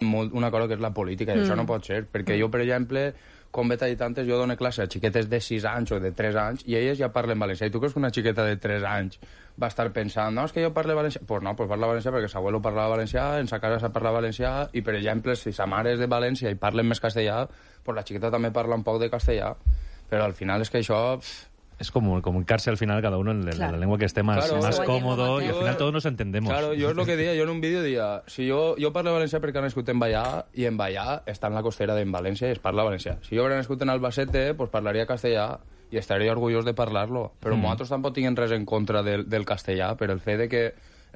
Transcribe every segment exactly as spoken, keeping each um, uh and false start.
molt una cosa que és la política, i mm. això no pot ser, perquè jo, per exemple, com ve tallat antes, jo dono classe a xiquetes de sis anys o de tres anys i elles ja parlen valencià. I tu creus que una xiqueta de tres anys va estar pensant, no, és que jo parlo valencià? Doncs pues no, pues parla valencià perquè s'abuelo parlava valencià, en sa casa s'ha parlat valencià, i, per exemple, si sa mare és de València i parlen més castellà, pues la xiqueta també parla un poc de castellà. Però al final és que això... Pff, es como comunicarse al final cada uno en la, claro. la lengua que esté más, claro, más cómodo, y al final todos nos entendemos. Claro, yo es lo que decía, yo en un vídeo decía, si yo, yo parlo valencià perquè he nascut en Vallà, i en Vallà està en la costera d'en València i es parla valencià. Si jo hagués nascut en Albacete, pues parlaria castellà i estaria orgullós de parlar-lo. Però mm. nosaltres tampoc tinguem res en contra del, del castellà, per el fet de que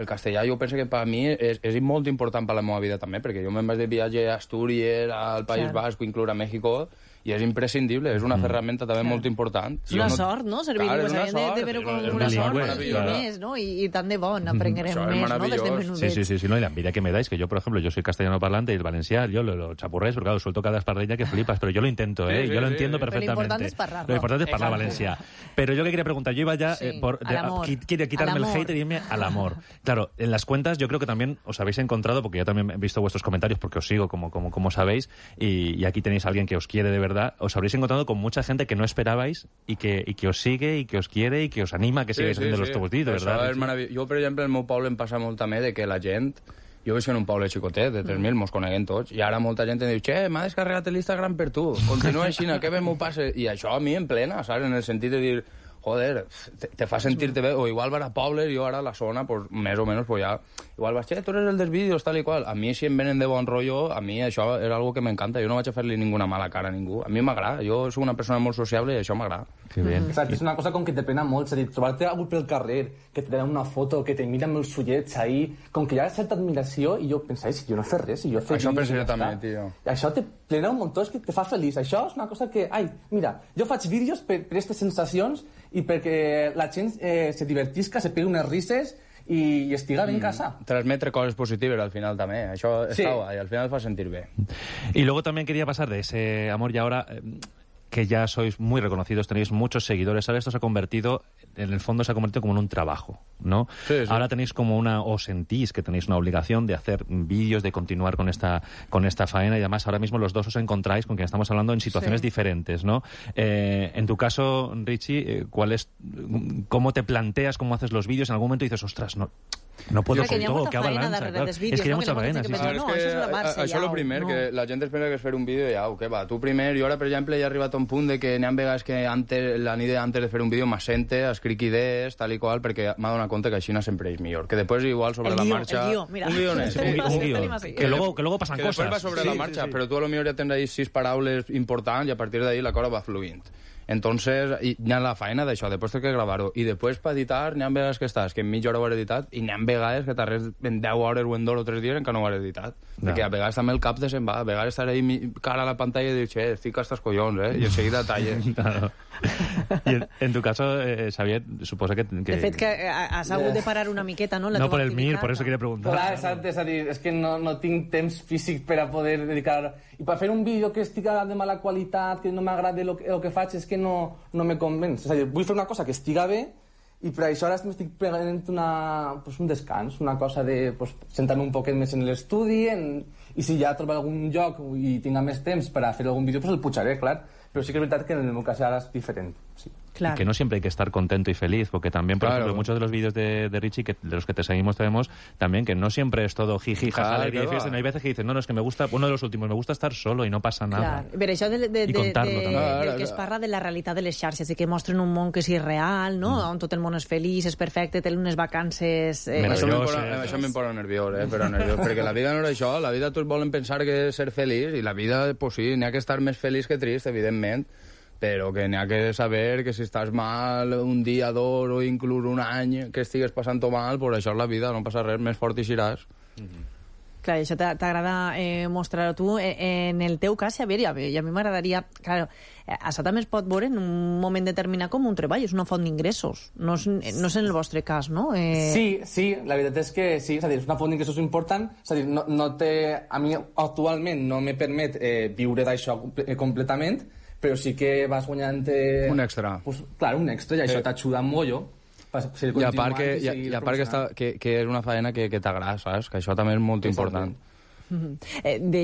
el castellà jo penso que per a mi és, és molt important per la meva vida també, perquè jo me'n vaig de viatge a Astúries, al País claro. Basc, inclús a México, i és imprescindible, és una ferramenta també molt important. És una sort, no? Servir clar, és una sort, de, de veure com una sort i més, ¿no? Y, y tan de bon, aprenguerem més, ¿no? Desde menudets. Sí, sí, sí, sí, no, y la envidia que me dais, que yo, por ejemplo, yo soy castellano parlante y el valencià, yo lo, lo chapurrés, porque claro, suelto cada espardeña que flipas, pero yo lo intento, ¿eh? Sí, sí, yo lo entiendo sí, perfectamente. Pero lo importante es parlar, ¿no? Lo importante es parlar valencià. Pero yo que quería preguntar, yo iba ya sí, eh, por... De, a, quiere quitarme el hate y irme al amor. Claro, en las cuentas yo creo que también os habéis encontrado, porque yo también he visto vuestros comentarios, porque os sigo, como, como, como sabéis, y, y aquí tenéis a alguien que os quiere de verdad, os habréis encontrado con mucha gente que no esperabais y que, y que os sigue y que os quiere y que os anima a que sigáis sí, sí, haciendo sí. los teus vídeos, ¿verdad? És meravellós. Jo, per exemple, al meu poble em passa molt també de que la gent... Jo visc en un poble xicotet, de tres mil, mos coneguem tots, i ara molta gent em diu, che, m'ha descarregat l'Instagram per tu, continua així, què bé m'ho passa? I això a mi em plena, saps? En el sentit de dir, joder, te, te fa sentir-te bé, o igual va a pobles, jo ara a la zona, pues, més o menys, pues ja, igual vas, che, tu eres el dels vídeos, tal i qual. A mi, si em venen de bon rotllo, a mi això és algo que m'encanta, jo no vaig a fer-li ninguna mala cara a ningú, a mi m'agrada, jo soc una persona molt sociable i això m'agrada. Que bien. Exacte, és una cosa com que te plena molt, és a dir, trobar-te algú pel carrer, que te donen una foto, que te mira amb els ullets ahí, com que hi ha certa admiració, i jo pensava, si jo no he fet res, si jo he fet... Això penso jo també, tio. I això te plena un muntó, és que te fa feliç. Això és una cosa que, ai, mira, jo faig vídeos per, per aquestes sensacions i perquè la gent eh, se divertisca, se pegui unes risses i, i estiga bé en casa. Mm, transmetre coses positives al final també, això sí. Està guai, al final fa sentir bé. Y luego también quería pasar de ese amor y ahora... Eh, que ya sois muy reconocidos, tenéis muchos seguidores, ahora esto se ha convertido, en el fondo se ha convertido como en un trabajo, ¿no? Sí, sí. Ahora tenéis como una, o sentís que tenéis una obligación de hacer vídeos, de continuar con esta, con esta faena, y además ahora mismo los dos os encontráis con quien estamos hablando en situaciones sí. diferentes, ¿no? Eh, en tu caso, Richie, ¿cuál es, cómo te planteas, cómo haces los vídeos? En algún momento dices, ostras, no... No puedo con todo, que balança. Claro. És que hi ha molta faena. Sí, sí. No, és que això és el primer, no. Que la gent espera que es fer un vídeo i au, que va, tu primer, jo ara, per exemple, ja he arribat a un punt de que n'hi ha vegades que antes, la nit antes de fer un vídeo m'assente, escric idees, tal i qual, perquè m'ha donat compte que així sempre és millor. Que després, igual, sobre el la guió, marxa... El guió, mira. Un guió, sí, un, un guió. Que luego, que luego pasan que cosas. Que després va sobre sí, la marxa, sí, sí. Però tu a lo millor ja tens ahí sis paraules importants i a partir d'ahí la cosa va fluint. Entonces, hi ha la faena d'això, després té que gravar-ho. I després, per editar, n'hi ha vegades que estàs, que en mitja hora ho has editat, i n'hi ha vegades que t'arrels en deu hores o en dos o tres dies encara no ho has editat. No. Perquè a vegades també el cap de se'n va, a vegades estaré ahí cara a la pantalla i dius, che, estic a estos collons, eh? I enseguida talles. Claro. Y en, en tu caso, eh, Xavier, suposa que, que... De fet, que has hagut de parar una miqueta, no? La no por el activitat, mir, por eso quería preguntar. Clar, exacte, és a dir, és que no, no tinc temps físic per a poder dedicar... I per fer un vídeo que estiga de mala qualitat, que no m'agrada el, el que faig, és que no, no me convenç. És a dir, vull fer una cosa que estiga bé i per això ara m'estic prenent una, pues, un descans, una cosa de pues, sentar-me un poquet més en l'estudi en, i si ja trobo algun lloc i tinc més temps per a fer algun vídeo, pues el pujaré, clar. Pero sí que es verdad que en el meu cas ara és diferent. Sí. Claro. Y que no siempre hay que estar contento y feliz, porque también, por claro. ejemplo, muchos de los vídeos de, de Richie, que, de los que te seguimos, tenemos también que no siempre es todo jiji, jaja, alegría y fiesta. No hay veces que dices, no, no, es que me gusta, uno de los últimos, me gusta estar solo y no passa nada. Clar. Però això de, de, I contar-lo de, també. de, del que es parla de la realitat de les xarxes, i que mostren un món que és irreal, no? Mm. On tot el món és feliç, és perfecte, té unes vacances... Eh, això m'imposa nerviós, eh? Però nerviós, perquè la vida no és això, la vida tots volen pensar que és ser feliç, i la vida, pues sí, n'hi ha que estar més feliç que trist, evidentment, però que n'hi ha que saber que si estàs mal un dia, dos o inclús un any que estigues passant-ho mal, pues això és la vida, no passa res, més fort i xiràs. Mm-hmm. Clar, això t'agrada eh, mostrar-ho tu. Eh, en el teu cas, Xavier, i a, i a mi m'agradaria... Clar, això també es pot veure en un moment determinat com un treball, és una font d'ingressos. No, és, no és en el vostre cas, no? Eh... Sí, sí, la veritat és que sí, és a dir, és una font d'ingressos important, és a dir, no, no té, a mi actualment no me permet eh, viure d'això completament, però sí que vas guanyant... Eh, un extra. Pues, clar, un extra, i això eh. t'ajuda molt. I a part, que, i, i a part que, està, que, que és una faena que, que t'agrada, saps? Que això també és molt sí, important. Mm -hmm. eh, de